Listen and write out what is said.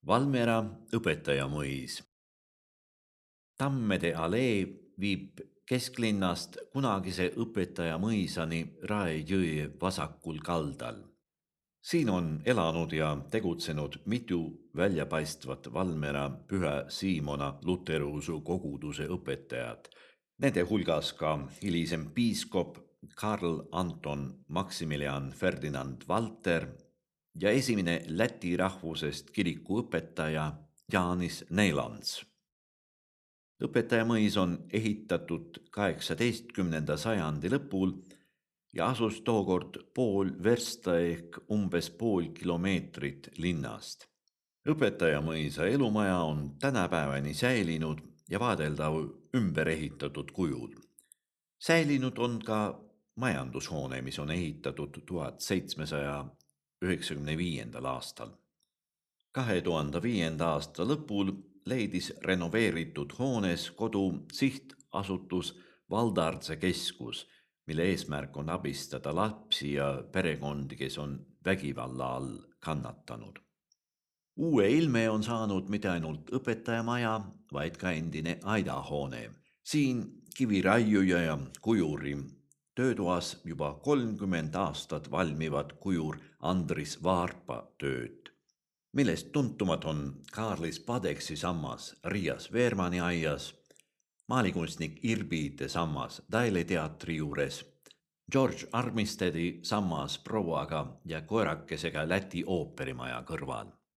Valmiera õpetajamõis. Tammede alee viib kesklinnast kunagise õpetajamõisani Rae jõe vasakul kaldal. Siin on elanud ja tegutsenud mitu väljapaistvat Valmiera Püha Siimona luteruse koguduse õpetajat. Nende hulgas ka hilisem piiskop Karl Anton Maximilian Ferdinand Valter ja esimene läti rahvusest kirikuõpetaja Jaanis Neilants. Õpetajamõis on ehitatud 18. sajandi lõpul ja asus tookord pool versta ehk umbes pool kilomeetrit linnast. Õpetajamõisa elumaja on tänapäevani säilinud ja vaadeldav ümber ehitatud kujul. Säilinud on ka majandushoone, mis on ehitatud 1795. aastal. 2005. aasta lõpul leidis renoveeritud hoones kodu sihtasutus Valdardse keskus, mille eesmärk on abistada lapsi ja perekondi, kes on vägivalla all kannatanud. Uue ilme on saanud mitte ainult õpetajamaja, vaid ka endine aidahoone. Siin kiviraiuja ja kujuri töötoas juba 30 aastat valmivad kujur Andris Vaarpa tööd, millest tuntumad on Kaarlis Padeksi sammas Riias Veermani aias, maalikunstnik Irbiite sammas Daile teatri juures, George Armistedi sammas prouaga ja koerakesega Läti ooperimaja kõrval.